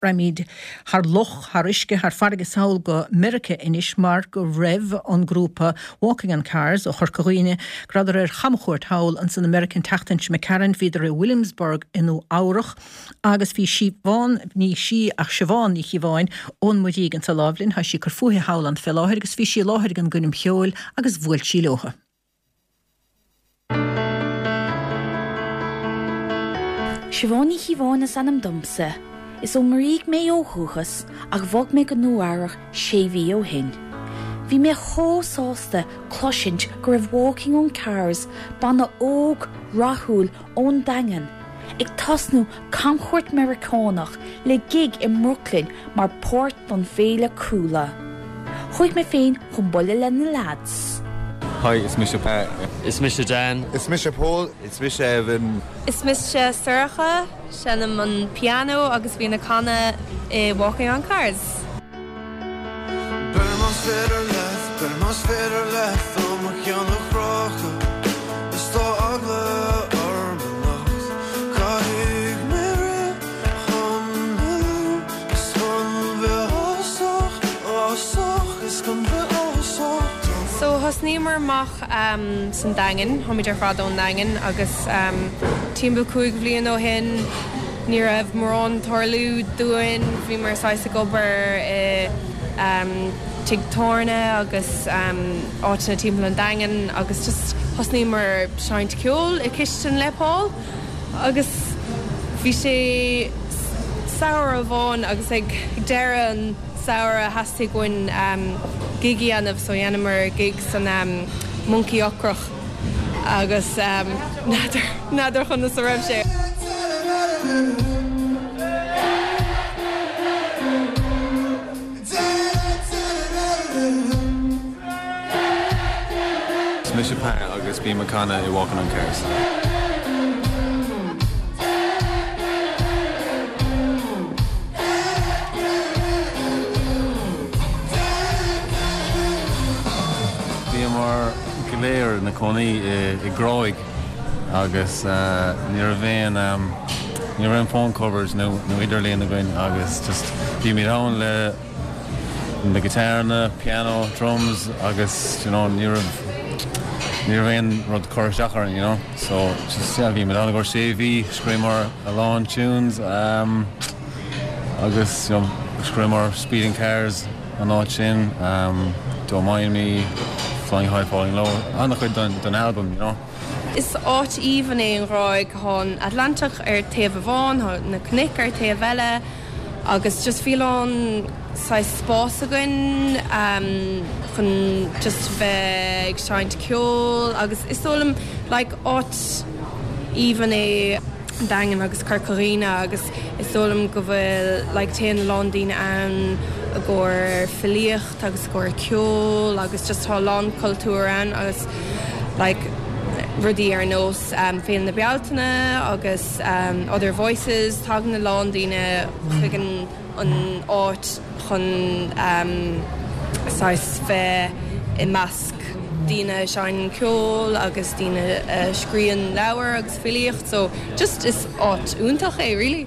Raghaimid thar loch, thar uisce, thar farraige sall go Meiriceá anois mar go raibh an grúpa Walking on Cars ó Chorca Dhuibhne, go rabhadar ar chamchuairt thall ansan i Meiriceá an tseachtain seo imigh tharainn. Bhíodar i Williamsburg i Nua Eabhrach agus bhí Siobhán, ní sí ach Siobhán Ní Chíobháin ón Muirígh anso láimh linn. Tá sí ag cur fúithi thall ann fé láthair agus bhí sí i láthair ag an gcoirm cheoil agus bhuail sí leotha. Siobhán Ní Chíobháin is ainm domsa. Is ón Muirígh mé ó dhúchas ach bhog mé go Nua Eabhrach sé mhí ó shin. Bhí mé chomh sásta cloisint go raibh Walking on Cars, banna óg, rathúil ón Daingean, ag tosnú camchuairt Meiriceánach le gig i mBrooklyn mar páirt don féile Cuala. Chuaigh mé féin chun bualadh le na leaids. Hi, is mise Pat. Is mise Dan. Is mise Pól. Is mise Evan. Is mise Sorcha, seinnim an pianó agus bím ag canadh i Walking on Cars. Beir más féidir leat, beir más féidir leat ó mo cheann a chrochadh Is tá eagla orm anocht Caithfidh mé rith chun éalú Is chun bheith ásach, ásach Is chun bheith ásach. So thosnaíomar amach san Daingean, táimid ar fad ón nDaingean agus timpeall 5 bhliain ó shin ní raibh mórán ag tarlú dúinn, bhíomar saghas ag obair i tigh tábhairne agus áiteanna timpeall an Daingin agus just thosnaíomar seinnt ceoil i cistin le Paul agus bhí sé samhradh amháin agus ag deireadh an samhradh theastaigh uainn gig a dhéanamh so dhéanamar gig san Monkey Ocrach agus n'fheadar conas a raibh sé. Is mise Pat agus bím ag canadh i Walking on Cars. Bhíomar go léir ina cónaí i gCrois agus ní raibh aon ní raibh aon phone coverage nó idirlíon againn agus just bhímid ann le na guitarranna, piano, drums agus you know ní raibh ní raibh aon rud cur isteach orainn you know so just yeah bhímid ann i gcomhair sé mhí, scríobhamar a lán tunes um, agus you know scríobhamar Speeding Cars an áit sin um, Don't Mind Me, Flying High Falling Low, an-chuid den, den album you know. Is áit aoibhinn é an Ghráig, tá an Atlantach ar taobh amháin, tá na cnoic ar taobh eile agus just bhí a lán saghas spás againn chun just bheith ag seinnt ceoil agus is dóigh liom like áit aoibhinn é an Daingean agus Corca Dhuibhne agus is dóigh liom go bhfuil like téann a lán daoine ann i gcomhair filíocht agus i gcomhair ceoil agus just tá a lán cultúr ann agus like rudaí ar nós Féile na Bealtaine agus Other Voices, tagann a lán daoine chuig an an áit chun saghas bheith i measc daoine a seinneann ceol agus daoine a scríobhann leabhair agus filíocht so just is áit iontach é really.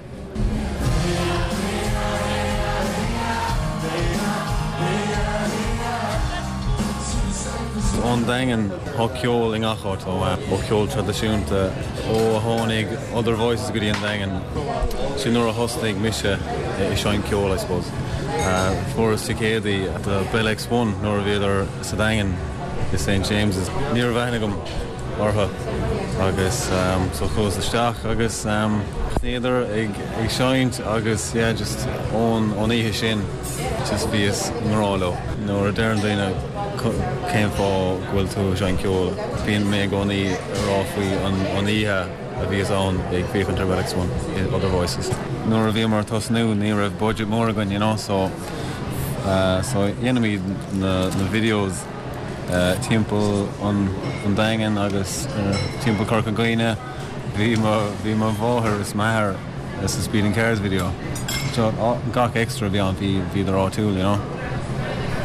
Ón Daingean, tá ceol i ngach áit, ó cheol traidisiúnta, ó a tháinig Other Voices go dtí an Daingean. Sin nuair a thosnaigh mise ag seinnt ceoil, I suppose. Fuaireas ticéadaí do Bell X1 nuair a bhíodar sa Daingean i St James's. Ní raibh aithne agam orthu agus so chuas isteach agus thosnaíodar ag seinnt agus yeah just ón oíche sin just bhíos i ngrá leo. Nuair a deireann daoine cén fáth go bhfuil tú ag seinnt ceoil, bíonn mé i gcónaí ag rá faoi an oíche a bhíos ann ag féachaint ar Bell X1 i Other Voices. Nuair a bhíomar ag tosnú ní raibh budget mór againn you know so so dhéanaimid na na videos timpeall an an Daingean agus timpeall Corca Dhuibhne. Bhí mo bhí mo mháthair is m'athair sa Speeding Cars video. So gach extra a bhí ann bhí bhíodar áitiúil you know.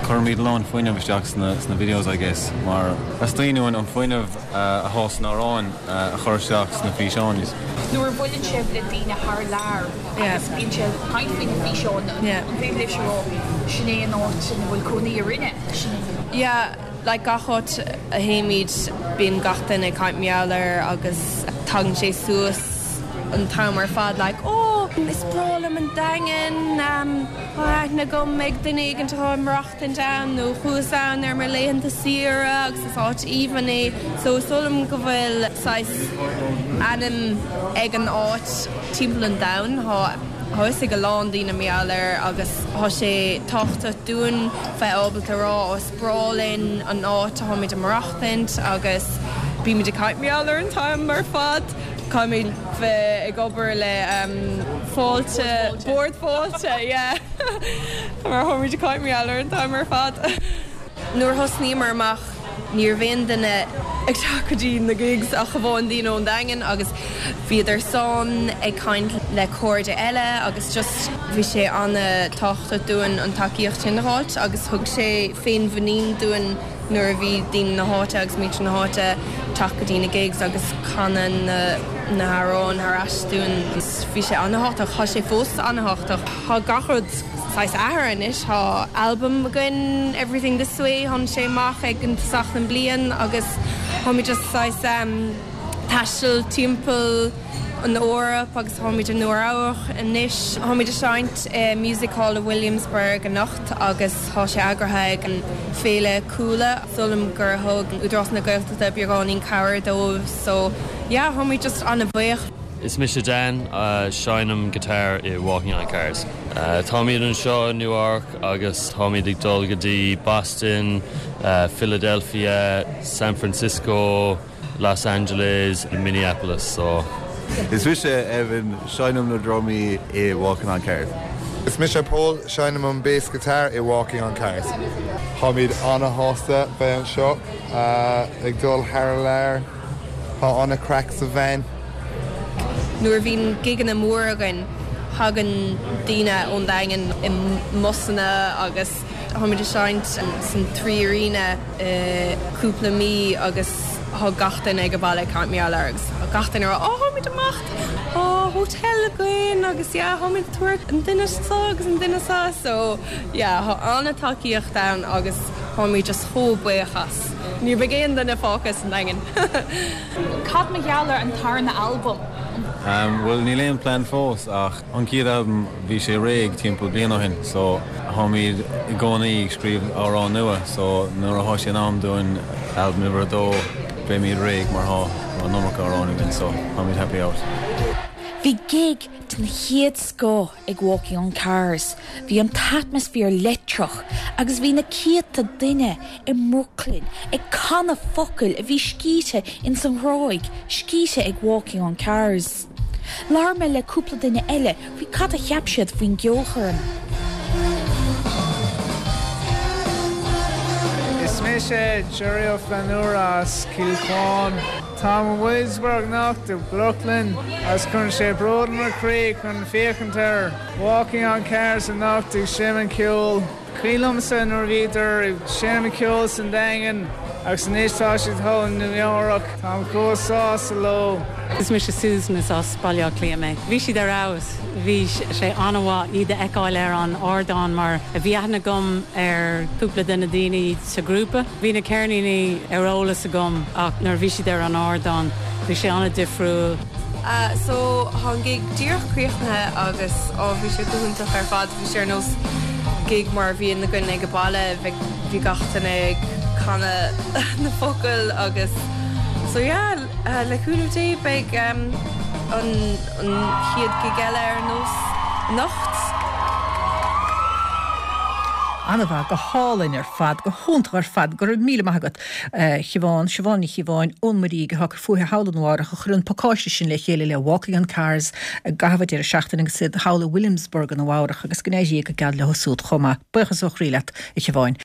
Cuirimid a lán fuinneamh isteach sna sna videos I guess mar theastaíonn uainn an fuinneamh atá san amhráin a chur isteach sna físeáin. Nuair a bhuaileann sibh le daoine thar lear agus bíonn siad ag caint faoi na físeáin, an féidir libhse a rá, sin é an áit ina bhfuil cónaí orainne, sin é. Yeah, like gach áit a théimid bíonn gach duine ag caint mar gheall air agus tagann sé suas an t-am ar fad like oh is breá liom an Daingean, tá aithne agam ag duine éigin atá ag maireachtaint ann nó chuas ann ar mo laethanta saoire agus is áit aoibhinn é so is dóigh liom go bhfuil saghas ainm ag an áit timpeall an domhain. Tá fhios ag a lán daoine mar gheall air agus tá sé tábhachtach dúinn bheith ábalta a rá ó is breá linn an áit atáimid ag maireachtaint agus bímid ag caint mar gheall air an t-am ar fad. Caithfimid bheith ag obair le Fáilte, Bord Fáilte, yeah mar táimid ag caint mar gheall air an t-am ar fad. Nuair a thosnaíomar amach ní raibh aon duine ag teacht go dtí na gigs ach amháin daoine ón Daingean agus bhíodar san ag caint le cairde eile agus just bhí sé an-tábhachtach dúinn an tacaíocht sin a fháilt agus thug sé féinmhuinín dúinn nuair a bhí daoine na háite agus muintir na háite teacht go dtí na gigs agus canadh na na hamhráin thar ais dúinn. Bhí sé an-thábhachtach. Tá sé fós an-thábhachtach. Tá gach rud saghas athraithe anois. Tá albam againn, Everything This Way, tháinig sé amach ag an tosach den bliain agus táimid just saghas taisteal timpeall an Eoraip agus táimid i Nua Eabhrach anois. Táimid ag seinnt i Music Hall i Williamsburg anocht agus tá sé eagraithe ag an Féile Cuala. Is dóigh liom gur thug Údarás na Gaeltachta beagáinín cabhair dóibh so yeah táimid just an-bhuíoch. Is mise Dan, seinnim guitar i Walking on Cars. Táimid anseo i Nua Eabhrac agus táimid ag dul go dtí Boston, Philadelphia, San Francisco, Los Angeles, Minneapolis so. Is mise Evan, seinnim na drumaí i Walking on Cars. Is mise Pól, seinnim an bass guitar i Walking on Cars. Táimid ana-shásta bheith anseo ag dul thar lear. Tá ana-craic sa veain. Nuair a bhíonn gigeanna móra againn, tagann daoine ón Daingean i mbusanna agus táimid ag seinnt san 3Arena i cúpla mí agus tá gach duine ag an baile ag caint mar gheall air agus tá gach duine ag rá oh táimid ag imeacht, tá hotel againn agus yeah táimid ag tabhairt an duine seo agus an duine seo so yeah tá an-tacaíocht ann agus táimid just chomh buíoch as. Ní bheidh aon duine fágtha sa nDaingean. Cad mar gheall ar an tarna albam? Bhuel níl aon plean fós ach an chéad albam bhí sé réidh timpeall bliain ó shin so táimid i gcónaí ag scríobh amhráin nua so nuair atá sé in am dúinn albam uimhir a dó beimid réidh mar tá an iomarca amhráin againn so táimid happy out. Bhí gig den chéad scoth ag Walking on Cars, bhí an t-atmaisféar leictreach agus bhí na céadta duine i mBrooklyn ag canadh focail a bhí scríte ins an Ghráig, scríte ag Walking on Cars. Labhair mé le cúpla duine eile faoi cad a cheap siad faoin gceolchoirm. Is mise Jerry Ó Flannúra as Cill Chuáin. Táim i Williamsburg anocht i Brooklyn agus cuireann sé bród i mo chroí chun féachaint ar Walking on Cars anocht ag seinm an ceoil. Cuimhin liomsa nuair a bhíodar ag seinm an ceoil san Daingean agus anois tá siad thall i Nua Eabhrac. Táim chomh sásta leo. Is mise Susan, is as Baile Átha Cliath mé. Bhí siad ar fheabhas. Bhí sé an-mhaith iad a fheiceáil ar an ardán mar bhí aithne agam ar cúpla de na daoine sa ghrúpa. Bhí na ceirníní ar eolas agam ach nuair a bhí siad ar an ardán bhí sé an-difriúil. So tá an gig díreach críochnaithe agus oh bhí sé go hiontach ar fad. Bhí sé ar nós gig mar a bhíonn againn ag an baile, bhí gach duine ag canadh na focail agus so yeah le cúnamh Dé beidh an an chéad gig eile ar nós anocht. An-mhaith, go hálainn ar fad, go hiontach ar fad, go raibh míle maith agat a Shiobhán, Siobhán Ní Chíobháin ón Muirígh atá ag cur fúithi thall i Nua Eabhrach a chuir an pacáiste sin le chéile le Walking on Cars i gcaitheamh an deireadh seachtaine agus iad thall i Williamsburg i Nua Eabhrach agus go n-éirí go geal leo súd chomh maith. Buíochas ó chroí leat a Shiobháin.